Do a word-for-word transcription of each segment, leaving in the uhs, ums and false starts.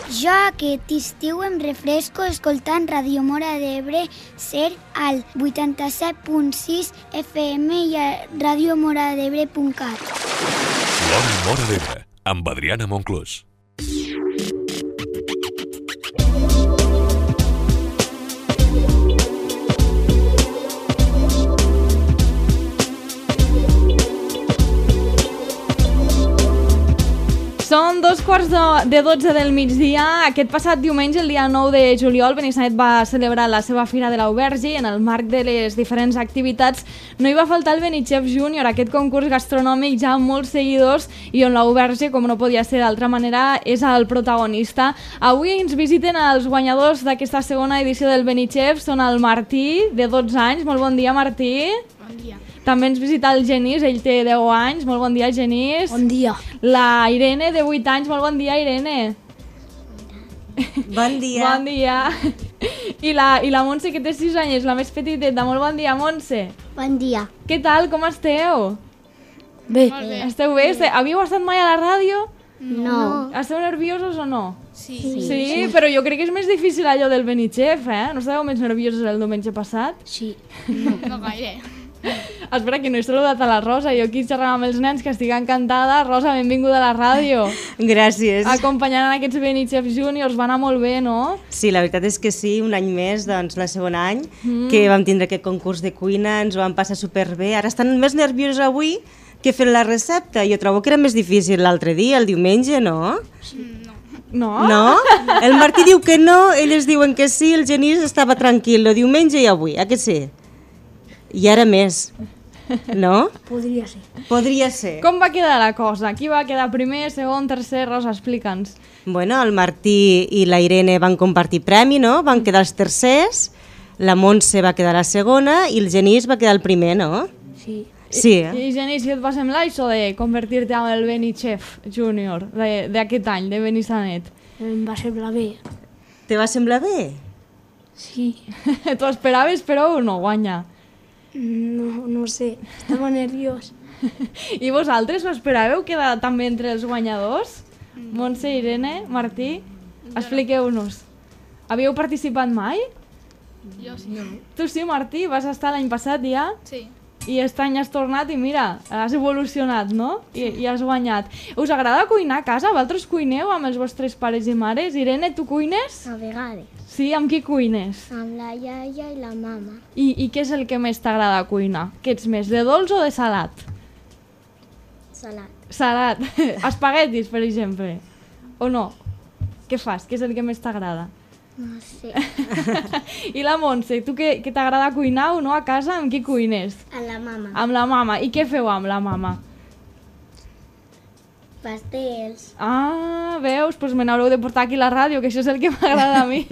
Jo aquest estiu em refresco escoltant Ràdio Móra d'Ebre ser al vuitanta-set punt sis F M i a radiomoradebre punt cat. L'Hora Móra d'Ebre, amb Adriana Monclús. Són dos quarts de dotze del migdia. Aquest passat diumenge, el dia nou de juliol, Benissanet va celebrar la seva Fira de l'Auberge i en el marc de les diferents activitats no hi va faltar el Benichef Júnior, aquest concurs gastronòmic ja amb molts seguidors i on l'Auberge, com no podia ser d'altra manera, és el protagonista. Avui ens visiten els guanyadors d'aquesta segona edició del Benichef, són el Martí, de dotze anys. Molt bon dia, Martí. Bon dia. També ens visita el Genís, ell té deu anys. Molt bon dia, Genís. Bon dia. La Irene, de vuit anys. Molt bon dia, Irene. Bon dia. Bon dia. I la, i la Montse, que té sis anys, la més petiteta. Molt bon dia, Montse. Bon dia. Què tal, com esteu? Bé. Bé. Esteu bé? Esteu... Havíeu estat mai a la ràdio? No. Esteu nerviosos o no? Sí. Sí, sí, sí, però jo crec que és més difícil allò del Benichef, eh? No estàveu més nerviosos el diumenge passat? Sí. No, no gaire. Espera, que no he saludat a la Rosa. Jo aquí xerrava amb els nens, que estic encantada. Rosa, benvinguda a la ràdio. Gràcies. Acompanyant en aquests Benichef Juniors, va anar molt bé, no? Sí, la veritat és que sí, un any més, doncs la segon any, mm. que vam tindre aquest concurs de cuina, ens ho vam passar superbé. Ara estan més nerviosos avui que fent la recepta. Jo trobo que era més difícil l'altre dia, el diumenge, no? No. No? No? El Martí diu que no, ells diuen que sí, el Genís estava tranquil, el diumenge i avui, a què sí? I ara més, no? Podria ser. Podria ser. Com va quedar la cosa? Qui va quedar primer, segon, tercer? Rosa, explica'ns. Bueno, el Martí i la Irene van compartir premi, no? Van quedar els tercers, la Montse va quedar la segona i el Genís va quedar el primer, no? Sí. Sí, I, eh? I Genís, què et va semblar això de convertir-te en el Benichef Júnior d'aquest any, de Benissanet? Em va semblar bé. Te va semblar bé? Sí. T'ho esperaves, però no guanya. No, no sé. Estava nerviós. I vosaltres ho esperàveu quedar també entre els guanyadors? Montse, Irene, Martí, expliqueu-nos. Havíeu participat mai? Jo sí. No. Tu sí, Martí, vas estar l'any passat ja? Sí. I aquest any has tornat i mira, has evolucionat, no? I, i has guanyat. Us agrada cuinar a casa? Vosaltres cuineu amb els vostres pares i mares? Irene, tu cuines? A vegades. Sí, amb qui cuines? Amb la iaia i la mama. I, i què és el que més t'agrada cuinar? Què ets més, de dolç o de salat? Salat. Salat. Espaguetis, per exemple. O no? Què fas? Què és el que més t'agrada? No sé. I la Montse, tu que, que t'agrada cuinar o no a casa, amb qui cuines? A la mama. Amb la mama. I què feu amb la mama? Pastels. Ah, veus? Doncs me n'haureu de portar aquí a la ràdio, que això és el que m'agrada a mi.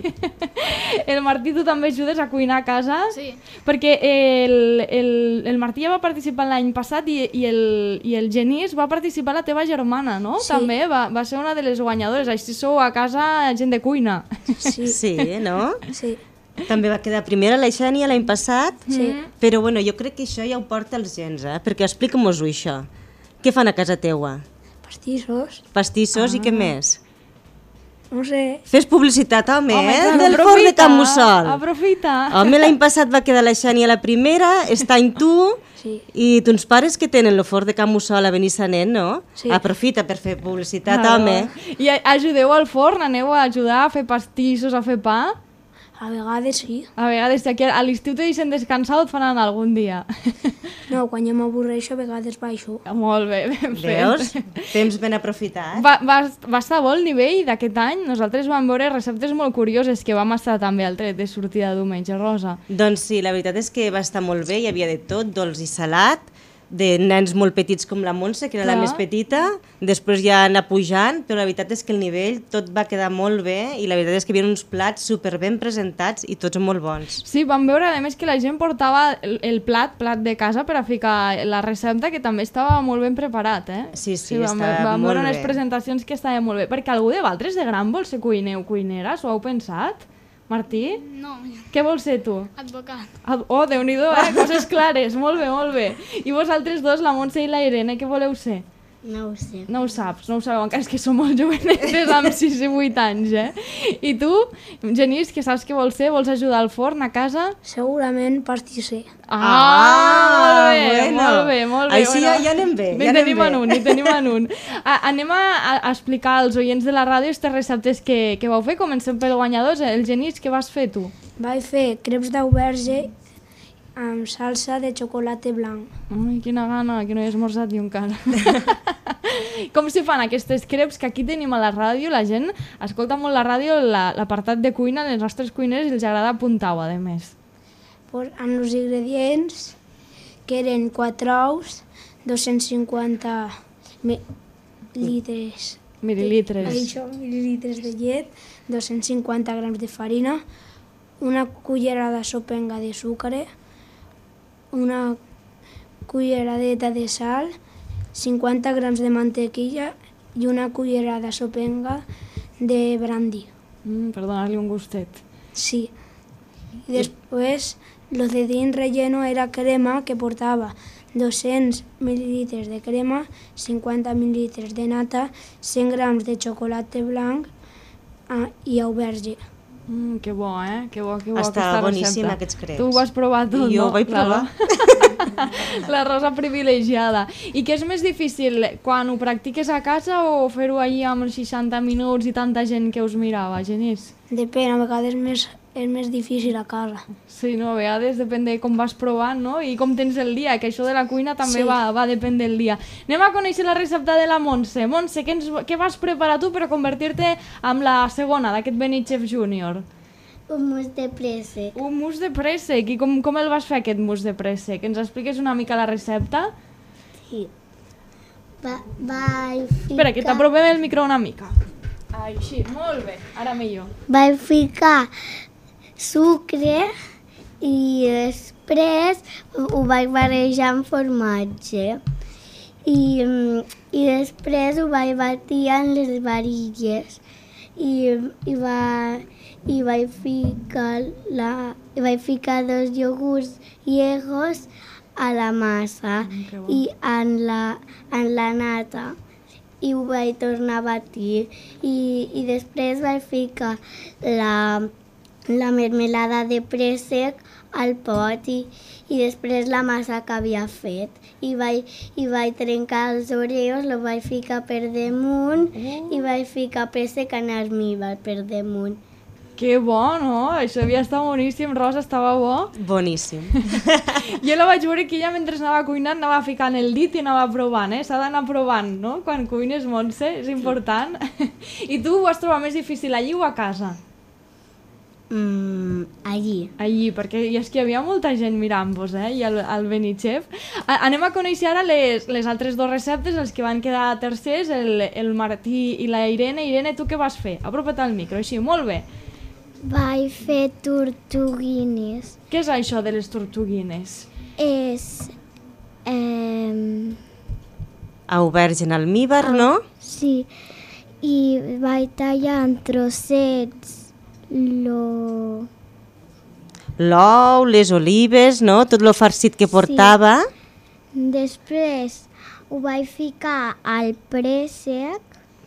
El Martí, tu també ajudes a cuinar a casa? Sí. Perquè el, el, el Martí ja va participar l'any passat i, i, el, i el Genís va participar la teva germana, no? Sí. També va, va ser una de les guanyadores. Així sou a casa gent de cuina. Sí. Sí, no? Sí. També va quedar primera la Xènia l'any passat, Sí. però bueno, jo crec que això ja ho porta els gens, eh? Perquè explica'm-ho això. Què fan a casa teua? Pastissos. Pastissos ah. i què més? No sé. Fes publicitat, home, Home, eh? clar, Del aprofita, forn de Can Mussol. Aprofita. Home, l'any passat va quedar la Xènia la primera, està en tu, Sí. i tons pares que tenen el forn de Can Mussol a Benissanet, no? Sí. Aprofita per fer publicitat, Claro. home. I a- ajudeu al forn, aneu a ajudar a fer pastissos, a fer pa? A vegades sí. A vegades, aquí a l'estiu te deixen descansar o et faran algun dia. No, quan jo m'avorreixo a vegades baixo. Molt bé, ben fet. Veus? Temps ben aprofitat. Va, va, va estar bo el nivell d'aquest any. Nosaltres vam veure receptes molt curioses que vam estar també al tret de sortida de diumenge, Rosa. Doncs sí, la veritat és que va estar molt bé, hi havia de tot, dolç i salat, de nens molt petits com la Montse, que era Clar. la més petita, després ja anar pujant, però la veritat és que el nivell tot va quedar molt bé i la veritat és que hi havia uns plats super ben presentats i tots molt bons. Sí, vam veure a més que la gent portava el, el plat, plat de casa per a ficar la recepta, que també estava molt ben preparat, eh? Sí, sí, vam, estava vam molt veure unes bé. presentacions que estaven molt bé. Perquè algú de vosaltres de gran vol ser cuineu, cuineres, ho heu pensat? Martí? No, Què vols ser tu? advocat. Ad- Oh, Déu-n'hi-do, eh? Coses clares, molt bé, molt bé. I vosaltres dos, la Montse i la Irene, què voleu ser? No ho sé. No ho saps, no ho sabeu, encara és que som molt jovenetes amb sis i vuit anys, eh? I tu, Genís, que saps què vols ser? Vols ajudar al forn a casa? Segurament pastisser. Ah, molt bé, bueno. molt bé, molt bé. Així ja, ja anem bé, Hi ja anem tenim bé. en un, hi tenim en un. A, anem a, a explicar als oients de la ràdio aquestes receptes que, que vau fer. Comencem pel guanyador. El Genís, què vas fer tu? Vaig fer creps d'auberge amb salsa de xocolata blanc. Ai, quina gana, que no he esmorzat ni un cara. Com se fan aquestes creps que aquí tenim a la ràdio? La gent escolta molt la ràdio, l'apartat de cuina, les nostres cuiners, i els agrada apuntar-ho, a més. Pues, amb els ingredients, que eren quatre ous, dos-cents cinquanta litres, Mililitres. això, mililitres de llet, dos-cents cinquanta grams de farina, una cullerada sopenga de sucre, una culleradeta de sal, cinquanta grams de mantequilla i una cullerada sopenga de brandy. Mm, per donar-li un gustet. Sí. I després, lo de dins relleno era crema, que portava dos-cents mil·lilitres de crema, cinquanta mil·lilitres de nata, cent grams de xocolata blanc ah, i auberge. Mm, que bo, eh? Que bo, que bo Estava aquesta boníssim, recepta. aquests creps. Tu ho vas provar tot, I jo no? ho vaig provar. La Rosa privilegiada. I què és més difícil, quan ho practiques a casa o fer-ho allí amb els seixanta minuts i tanta gent que us mirava, Genís? Depèn, a vegades més, és més difícil a casa. Sí, no, a vegades depèn de com vas provant, no? I com tens el dia, que això de la cuina també Sí. va, va depèn del dia. Anem a conèixer la recepta de la Montse. Montse, què, ens, què vas preparar tu per a convertir-te en la segona d'aquest Benichef Júnior? Un mus de préssec. Un mousse de préssec. I com, com el vas fer, aquest mousse de préssec? Ens expliques una mica la recepta? Sí. Va, vaig ficar... Espera, que t'aprovem el micro una mica. Així, molt bé. Ara millor. Vaig ficar sucre i després ho vaig barrejar amb formatge. I, i després ho vaig batir en les varilles. I, i, va, i vaig ficar la, i vaig ficar dos iogurts llegos a la massa Mm, que bo. i en la, en la nata i ho vaig tornar a batir i, i després vaig ficar la, la mermelada de préssec al pot i, i després la massa que havia fet i vaig, i vaig trencar els oreos, lo vaig ficar per damunt i vaig ficar préssec en almíbar per damunt. Que bo, no? Això havia estat boníssim. Rosa, estava bo. Boníssim. Jo la vaig veure que ella mentre anava cuinant anava ficant el dit i anava provant, eh? S'ha d'anar provant, no? Quan cuines, Montse, és important. I tu ho has trobat més difícil allí o a casa? Mm, allí. Allí, perquè i és que hi havia molta gent mirant-vos, eh? I al, al Benichef. A, anem a conèixer ara les, les altres dues receptes, els que van quedar tercers, el, el Martí i la Irene. Irene, tu què vas fer? Apropa't al micro, així, molt bé. Vaig fer tortuguines. Què és això de les tortuguines? És... Eh, Auberge en almíbar, no? sí, i vaig tallar en trossets lo... L'ou, les olives, no? Tot lo farcit que portava. Després ho vaig ficar al préssec.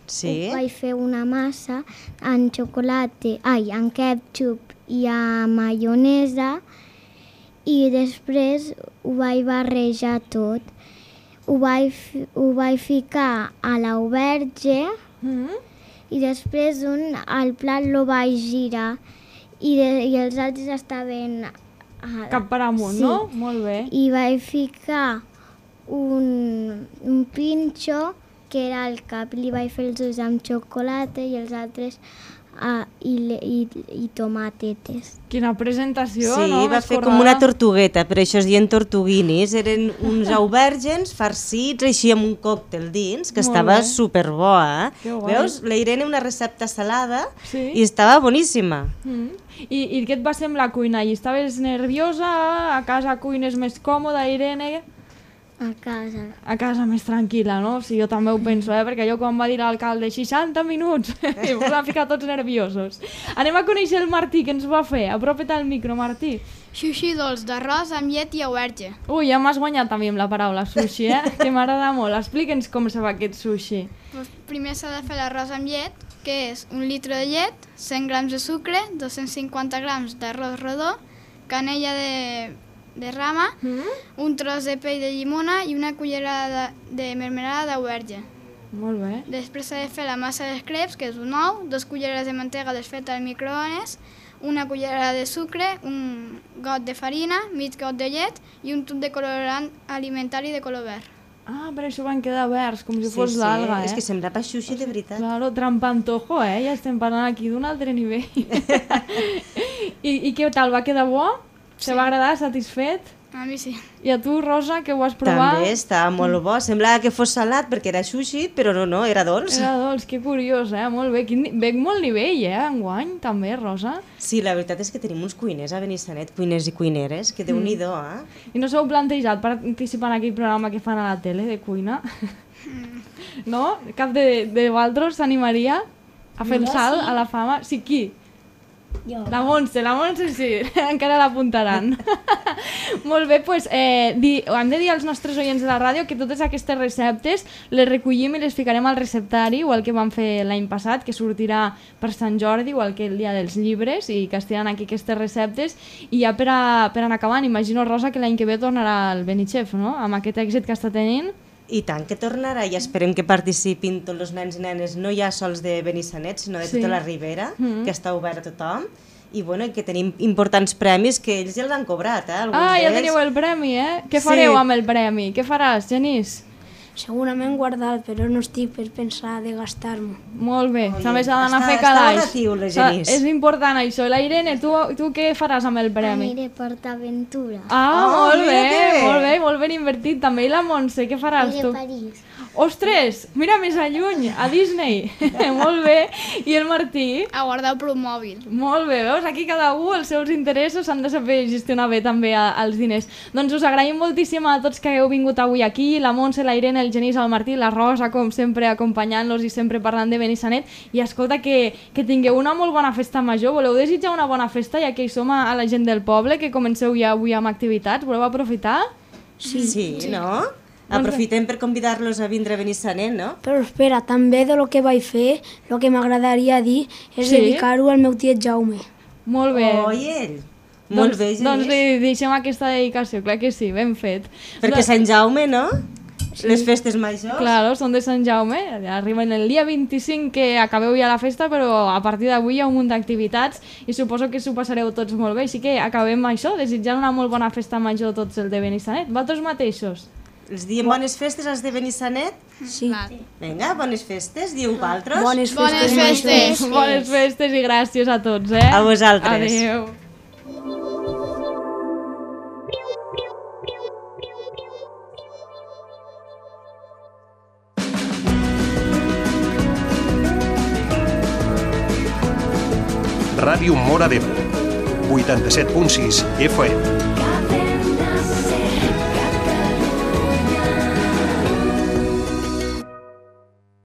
Sí. Ho vaig fer una massa amb xocolata, ai, amb ketchup i amb maionesa i després ho vaig barrejar tot. Ho vaig, fi- ho vaig ficar a l'auberge Mm? i després un al plat lo vaig girar i, de, i els altres estaven... A, Cap per amunt, sí. no? Molt bé. I vaig ficar un, un pinxo que era el cap, li vaig fer els ulls amb xocolata i els altres ah, i, le- i, i tomatetes. Quina presentació, Sí, no? va Més fer com currada. una tortugueta, per això es diuen tortuguinis. Eren uns aubergens farcits així amb un còctel dins, que Molt estava bé. superbo, eh? Que guai. Veus? La Irene una recepta salada Sí. i estava boníssima. Mm. I, I què et va semblar cuinar allí? Estaves nerviosa? A casa cuines més còmoda, Irene? A casa. A casa més tranquil·la, no? Sí, jo també ho penso, eh? Perquè jo quan va dir l'alcalde seixanta minuts, i ens van ficar tots nerviosos. Anem a conèixer el Martí, que ens va fer. Apropa't al micro, Martí. Sushi dolç d'arròs amb llet i auberge. Ui, ja m'has guanyat també amb la paraula sushi, eh? Que m'agrada molt. Explica'ns com se fa aquest sushi. Pues primer s'ha de fer l'arròs amb llet, que és un litre de llet, cent grams de sucre, dos-cents cinquanta grams d'arròs rodó, canella de, de rama, mm? un tros de pell de llimona i una cullerada de, de mermelada d'auberge. Molt bé. Després s'ha de fer la massa dels crepes, que és un ou, dos culleres de mantega desfeta al microones, una cullerada de sucre, un got de farina, mig got de llet i un tub de colorant alimentari de color verd. Ah, per això van quedar verds, com si Sí, fos sí, l'alga, eh? és que semblava sushi de veritat. Claro, trampantojo, eh? Ja estem parlant aquí d'un altre nivell. I, I què tal, va quedar bo? Se va agradar, satisfet? A mi sí. I a tu, Rosa, que ho has provat? També estava molt bo. Semblava que fos salat perquè era sushi, però no, no, era dolç. Era dolç, que curiós, eh? Molt bé. Quin... Veig molt nivell, eh? Enguany, també, Rosa. Sí, la veritat és que tenim uns cuiners a Benissanet, cuiners i cuineres, que déu-n'hi-do, eh? I no s'heu plantejat participar en aquell programa que fan a la tele de cuina? No? Cap de, de vosaltres s'animaria a fer el salt a la fama? Sí, qui? Jo. La Montse, la Montse sí, encara l'apuntaran. Molt bé, doncs eh, di, hem de dir als nostres oients de la ràdio que totes aquestes receptes les recollim i les ficarem al receptari, igual que vam fer l'any passat, que sortirà per Sant Jordi, igual que el dia dels llibres, i que estiran aquí aquestes receptes. I ja per, a, per anar acabant, imagino, Rosa, que l'any que ve tornarà el Benichef, no?, amb aquest èxit que està tenint. I tant que tornarà i esperem que participin tots els nens i nenes, no ja sols de Benissanet, sinó de Sí. tota la Ribera, Mm. que està obert a tothom. I bueno, que tenim importants premis que ells ja els han cobrat, eh? Alguns Ah, ja d'ells. teniu el premi, eh? Què Sí. fareu amb el premi? Què faràs, Genís? Segurament guardat, però no estic per pensar de gastar-m'ho. Molt bé, Oye, també s'ha d'anar a està- fer està calaix. relatiu, la S'ha- Genís. És important això. La Irene, tu, tu què faràs amb el premi? Aniré a PortAventura. Ah, Oh, molt mira bé, que bé. molt bé, molt ben invertit. També i la Montse, què faràs Aniré tu? a París. Ostres, mira més a lluny, a Disney. Molt bé. I el Martí? A guardar el promòbil. Molt bé, veus? Aquí cada un els seus interessos s'han de saber gestionar bé també a, als diners. Doncs us agraïm moltíssim a tots que heu vingut avui aquí, la Montse, la Irene, el Genís, el Martí, la Rosa, com sempre, acompanyant-los i sempre parlant de Benissanet. I escolta, que, que tingueu una molt bona festa major. Voleu desitjar una bona festa, ja que hi som a, a la gent del poble, que comenceu ja avui amb activitats? Voleu aprofitar? Sí, sí, no? Doncs Aprofitem per convidar-los a vindre a Benissanet, no? Però espera, també de lo que vaig fer, el que m'agradaria dir és Sí? dedicar-ho al meu tiet Jaume. Molt bé. Oh, i ell? Molt doncs, bé, Genís. Doncs li deixem aquesta dedicació, clar que sí, ben fet. Perquè Sant Jaume, no? Les festes majors. Claro, són de Sant Jaume, arriben el dia vint-i-cinc que acabeu ja la festa, però a partir d'avui hi ha un munt d'activitats i suposo que s'ho passareu tots molt bé, així que acabem això, desitjant una molt bona festa major a tots el de Benissanet. Vosaltres mateixos? Els diem bones festes als de Benissanet? Sí. Val. Vinga, bones festes, diu vosaltres. Bones Bones festes. festes. Bones festes i gràcies a tots, eh? A vosaltres. Adéu. Ràdio Móra d'Ebre, vuitanta-set punt sis F M.